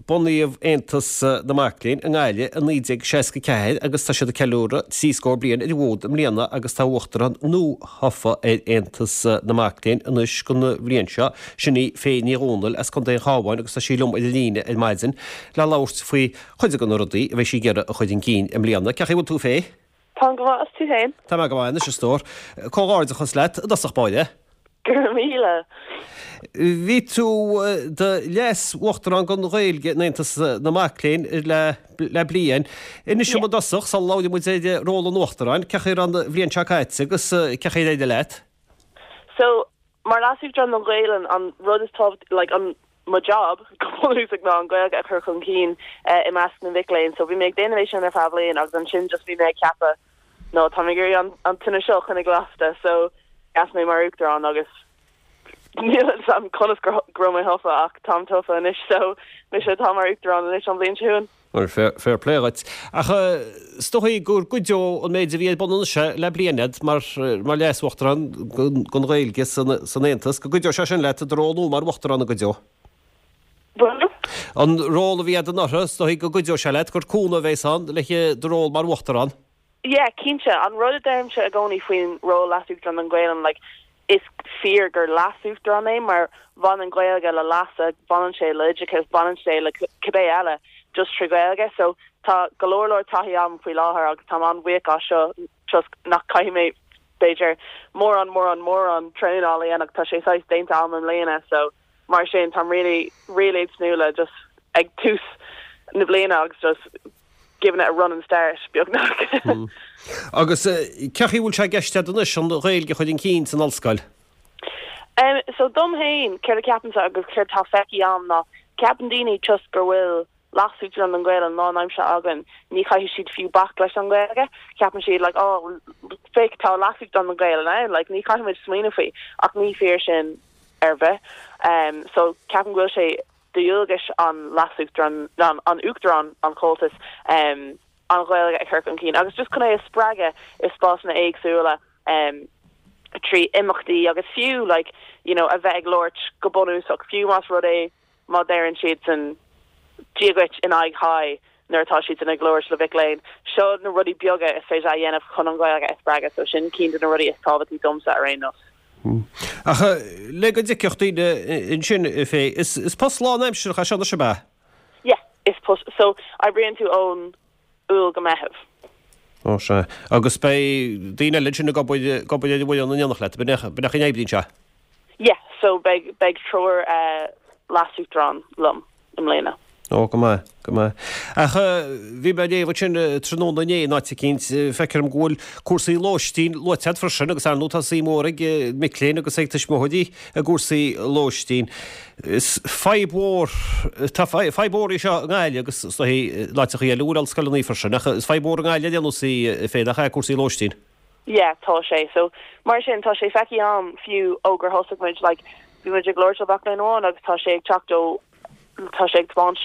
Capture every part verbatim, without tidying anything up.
Bunaíodh Aontas na Mac Léinn i nGaillimh i naoi déag seasca ceathair agus tá siad ag ceiliúradh trí scór bliain ar an bhfód i mbliana agus tá Uachtarán nua-thofa ar Aontas na Mac Léinn anois don bhliain seo, sin í Faye Ní Dhomhnaill as Contae an Chabháin agus tá sí liom ar an líne ar maidin le labhairt faoi chuid de na rudaí a bheidh sí ag iarraidh a chur chun cinn i mbliana. Cén chaoi a bhfuil tú Faye? Táim go maith, is tú féin? Tá mé go maith anois a stór. Comhghairdeachas leat i dtosach báire. Go raibh míle. Bhí tú i do leas-uachtarán don Ghaeilge in Aontas na Mac Léinn le le bliain. Inis dom i dtosach, sula labhraíonn muid ar ról an uachtaráin, cén chaoi a raibh an bhliain seo caite agus cén chaoi ar éirigh leat? So, mar leas-uachtarán don Ghaelainn, an rud is tábhacht, like, an mo job go bunúsach ná an Ghaeilge a chur chun cinn i measc na mhic léinn. So bhí mé ag déanamh é sin ar feadh bliain agus ansin just bhí mé ag ceapadh no tá mé ag iarraidh an an tine seo a choinneáil lasta so sheas mé mar uachtarán agus níl a fhios agam conas go raibh mé tofa ach táim tofa anois so mise atá mar uachtarán anois an bhliain seo chugainn. Bhuel fair fair play dhuit. Ach is dóigh go gcuideoidh an méid a bhí ar bun anois le bliain agat mar mar leas-uachtarán don Ghaeilge san san Aontas, go gcuideoidh sé sin leat i do ról nua mar uachtarán an gcuideoidh? Bhuel? An ról a bhí agat anuraidh, is dóigh go gcuideoidh sé leat, gur cúnamh a bheas ann le do ról mar uachtarán. Yeah, cinnte. An rud a deirimse i gcónaí faoin ról leas-uachtarán don Ghaelainn, like, is fíor gur leas-uachtarán é mar baineann Gaeilge le leasa, baineann sé le oideachas, baineann sé le cibé eile just trí Ghaeilge. So tá go leor leor taithí agam faoi láthair agus táim an-bhuíoch as seo just nach caithfidh mé b'fhéidir mórán mórán mórán traenála a dhéanamh tá sé saghas déanta agam i mbliana so mar sin táim really really ag tnúth le just ag tús na bliana agus just giving it a running start beagnach. Agus cén chaoi a bhfuil sé i gceist agat anois an Ghaeilge a chur chun cinn san ollscoil? Um, so dom féin céard a ceapaimse agus céard tá feicthe agam ná ceapann daoine just gur bhfuil leas-uachtarán don Ghaelainn lánaimseartha againn ní chaithfidh siad fiú bac leis an Ghaeilge ceapann siad like oh féach tá leas-uachtarán don Ghaelainn ann like ní chaithfimid smaoineamh faoi ach ní fíor sin ar bith um, so ceapaim go bhfuil sé de dhualgas an leas-uachtarán an, an uachtarán an Chomhaltais um, an Ghaeilge a chur chun cinn agus just chun é a spreagadh i spásanna éagsúla um, trí imeachtaí agus fiú like you know a bheith ag labhairt go bunúsach fiú más rud é má deireann siad san Dia duit in aghaidh hi nuair atá siad ag labhairt le mhic léinn seo na rudaí beaga is féidir a dhéanamh chun an Ghaeilge a spreagadh so sin ceann de na rudaí is tábhachtaí domsa ar aon nós. Ach le go dtuigfeadh daoine ansin Faye is is post lánaimseartha é seo anois ab ea? Yeah, is post so oibríonn tú ón Iúil go Meitheamh. Ó sea. Agus beidh daoine eile ansin ag obair ag obair ar an bhfoireann in éineacht leat, b'in é b'in é an oibríonn sé? Yeah, so beidh beidh triúr uh, leas-uachtarán liom i mbliana. Ó go maith, go maith. Ach bhí mé ag léamh ansin tráthnóna inné in áit eicínt, feictear dom go bhfuil cúrsaí lóistín luaite agat freisin agus ar ndóigh tá suim mhór ag mic léinn agus ag tuismitheoirí i gcúrsaí lóistín. Is fadhb mhór, tá fadhb mhór í seo i nGaillimh agus is dóigh in áiteachaí eile a bhfuil ollscoileanna freisin ach is fadhb mhór i nGaillimh ar aon nós í féin nach ea cúrsaí lóistín. Yeah, tá sé. So mar sin tá sé feicthe agam fiú ó gur thosaigh muid like bhí muid ag labhairt le mac léinn amháin agus tá sé ag teacht ó tá sé ag tiomáint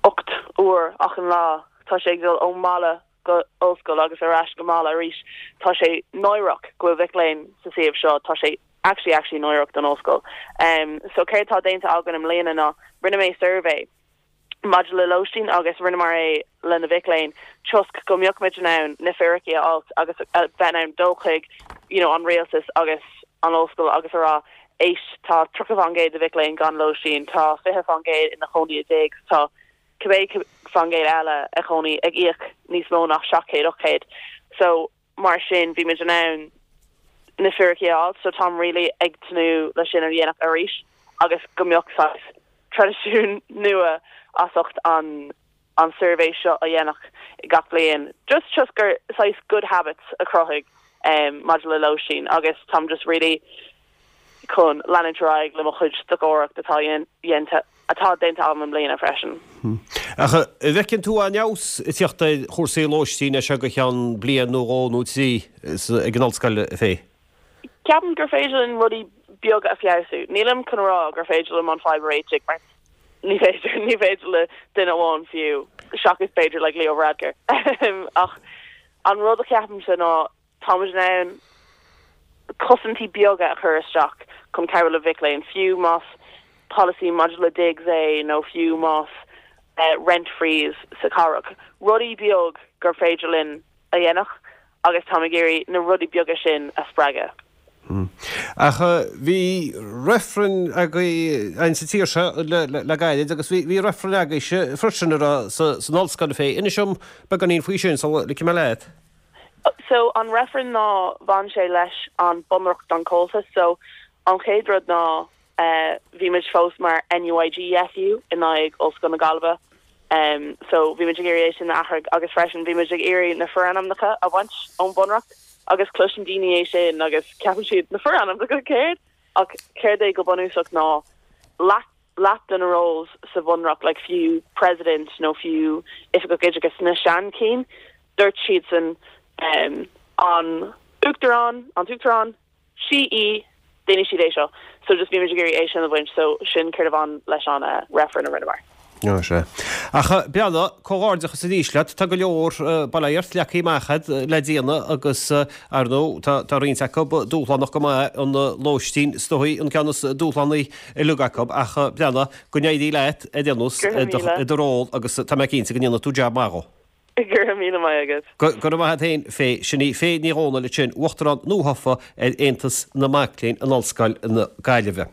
ocht uair achan lá tá sé ag dul ón mbaile go ollscoil agus ar ais go mbaile arís tá sé náireach go bhfuil mhic léinn sa suíomh seo tá sé actually actually náireach don ollscoil um so céard tá déanta againn i mbliana ná rinne mé survey maidir le lóistín agus rinneamar é le na mhic léinn toisc go mbeadh muid in ann na fíricí a fháil agus a bheith in ann dul chuig you know an rialtas agus an ollscoil agus a rá éist tá tríocha faoin gcéad de mhic léinn gan lóistín tá fiche faoin gcéad ina chónaí i dtigh tá cibé faoin gcéad eile a chónaí ag íoc níos mó ná seacht céad ocht céad so mar sin bhí muid in ann na fíricí a fháil so táim really ag tnúth le sin a dhéanamh arís agus go mbeadh saghas traidisiún nua as ucht an an survey seo a dhéanamh gach bliain just just gur saghas good habits a chruthaigh um, maidir le lóistín agus táim just really chun leanúint ar aghaidh le mo chuid stocaireacht atá dhéanta atá déanta agam i mbliana freisin. Ach an bhfeiceann tú aon fheabhas ag teacht ar chúrsaí lóistín as seo go ceann bliain nó dhó nó trí ag an ollscoil Faye? Ceapaim gur féidir linn rudaí beaga a feabhsú. Nílim chun rá gur féidir liom an fadhb a réiteach mar ní féidir ní féidir le duine amháin fiú seachas b'fhéidir like Leo Varadkar. Ach an rud a cheapaimse ná táimid in ann cosaintí beaga a chur isteach chun cabhrú le mhic léinn fiú más policy maidir le digs é nó fiú más rent freeze sa chathrach. Rudaí beag gur féidir linn a dhéanamh agus tá ag iarraidh na rudaí beaga sin a spreagadh. Hmm. Ach bhí reifreann agaibh an sa tír seo le gairid agus bhí reifreann agaibhse freisin ar san ollscoil féin. Inis dom beagáinín faoi sin sula ligfidh mé leat. So an reifreann ná bhain sé leis an bunreacht don Comhaltas so an chéad rud ná uh, bhí muid fós mar NUIGSU in aghaidh Ollscoil na Gaillimhe. Um, so bhí muid ag iarraidh sin a athrú agus freisin bhí muid ag iarraidh na forainmneacha a bhaint ón bunreacht agus cloiseann daoine é sin agus ceapann siad na forainmneacha céard ach céard é go bunúsach ná leath leath de na roles sa bhunreacht like fiú president nó fiú oifigeach oideachais na seanchinn dúirt siad san um, an uachtarán an uachtarán sí í déanfaidh siad é seo so just bhí muid ag iarraidh é sin a bhaint so sin céard a bhain leis an uh, reifreann a rinneamar. No sé. Ach beanna comhghairdeachas arís leat tá go leor bailíocht leagtha amach agat le déanamh agus ar ndóigh tá roinnt acu dúshlánach go maith an lóistín is dóigh an ceann is dúshlánaí uilig acu ach beanna go n-éirí leat a dhéanamh i do ról agus tá mé cinnte go ndéanfaidh tú jab maith. Go raibh míle maith agat. Go raibh maith agat féin Faye sin í Faye Ní Dhomhnaill sin uachtarán nuathofa ar Aontas na Mac Léinn in Ollscoil na Gaillimhe.